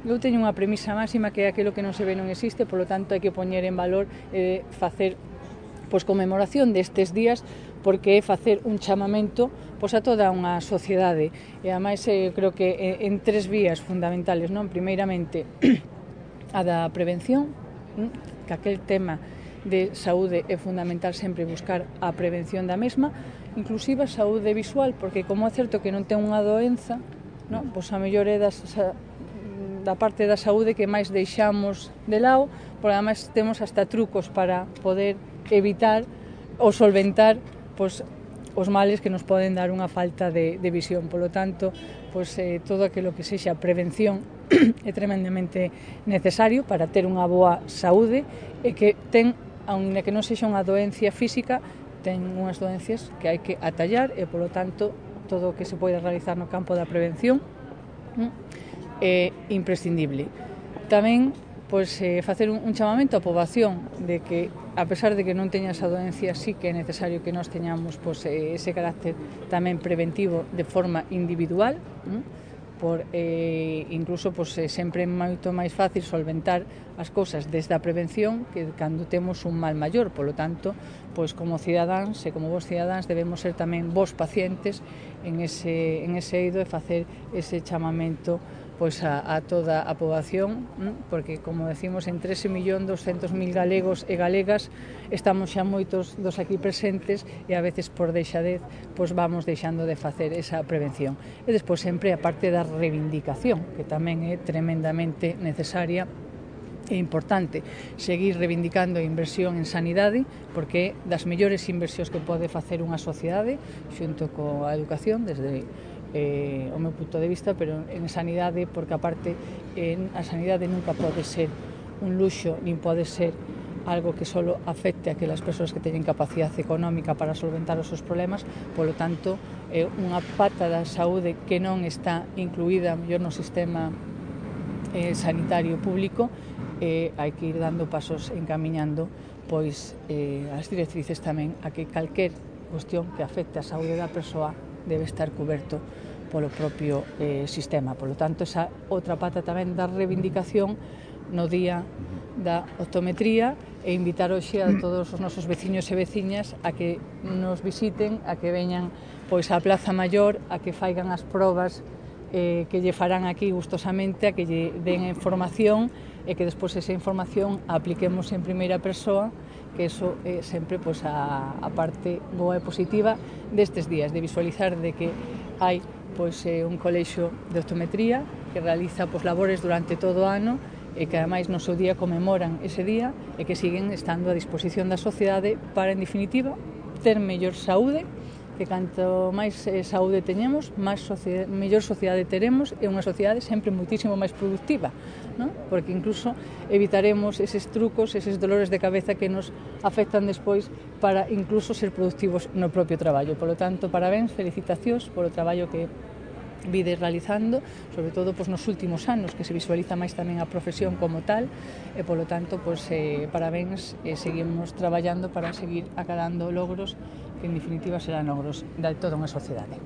eu teño unha premisa máxima que é aquilo que non se ve non existe, polo tanto hai que poñer en valor facer conmemoración destes días, porque é facer un chamamento a toda unha sociedade, e ademais creo que en tres vías fundamentales, non? Primeiramente a da prevención, que aquel tema de saúde é fundamental sempre buscar a prevención da mesma, inclusive a saúde visual, porque como é certo que non ten unha doenza, non? Pois a mellor é da parte da saúde que máis deixamos de lado, porque ademais temos hasta trucos para poder evitar ou solventar os males que nos poden dar unha falta de visión. Polo tanto, todo aquilo que sexa prevención é tremendamente necesario para ter unha boa saúde e que aínda que non sexa unha doencia física, ten unhas doencias que hai que atallar e, polo tanto, todo o que se pode realizar no campo da prevención é imprescindible. Tamén facer un chamamento á poboación de que, a pesar de que non teña esa doencia, sí que é necesario que nós teñamos ese carácter tamén preventivo de forma individual, incluso sempre é moito máis fácil solventar as cousas desde a prevención que cando temos un mal maior. Polo tanto, como cidadáns e como vos cidadáns debemos ser tamén vos pacientes en ese eido e facer ese chamamento a toda a poboación, porque, como decimos, en 13.200.000 galegos e galegas estamos xa moitos dos aquí presentes e a veces por deixadez vamos deixando de facer esa prevención. E despois sempre a parte da reivindicación, que tamén é tremendamente necesaria e importante seguir reivindicando a inversión en sanidade, porque é das mellores inversións que pode facer unha sociedade xunto coa educación desde o meu punto de vista, pero en sanidade, porque aparte a sanidade nunca pode ser un luxo, nin pode ser algo que só afecte a aquelas persoas que teñen capacidade económica para solventar os seus problemas. Polo tanto, é unha pata da saúde que non está incluída mellor no sistema sanitario público, e hai que ir dando pasos encamiñando as directrices tamén a que calquer cuestión que afecte a saúde da persoa debe estar cuberto polo propio sistema. Polo tanto, esa outra pata tamén da reivindicación no día da optometría, e invitar hoxe a todos os nosos veciños e veciñas a que nos visiten, a que veñan á Plaza Maior, a que faigan as probas que lle farán aquí gustosamente, a que lle den información e que despois esa información a apliquemos en primeira persoa, que iso é sempre a parte boa e positiva destes días, de visualizar de que hai un colexio de optometría que realiza labores durante todo o ano e que ademais no seu día conmemoran ese día e que siguen estando a disposición da sociedade para, en definitiva, ter mellor saúde, que canto máis saúde teñemos, mellor sociedade teremos, e unha sociedade sempre moitísimo máis productiva, non? Porque incluso evitaremos eses trucos, eses dolores de cabeza que nos afectan despois para incluso ser productivos no propio traballo. Polo tanto, parabéns, felicitacións polo traballo que vides realizando, sobre todo nos últimos anos, que se visualiza máis tamén a profesión como tal, e polo tanto, parabéns, e seguimos traballando para seguir acadando logros que en definitiva serán logros de toda unha sociedade.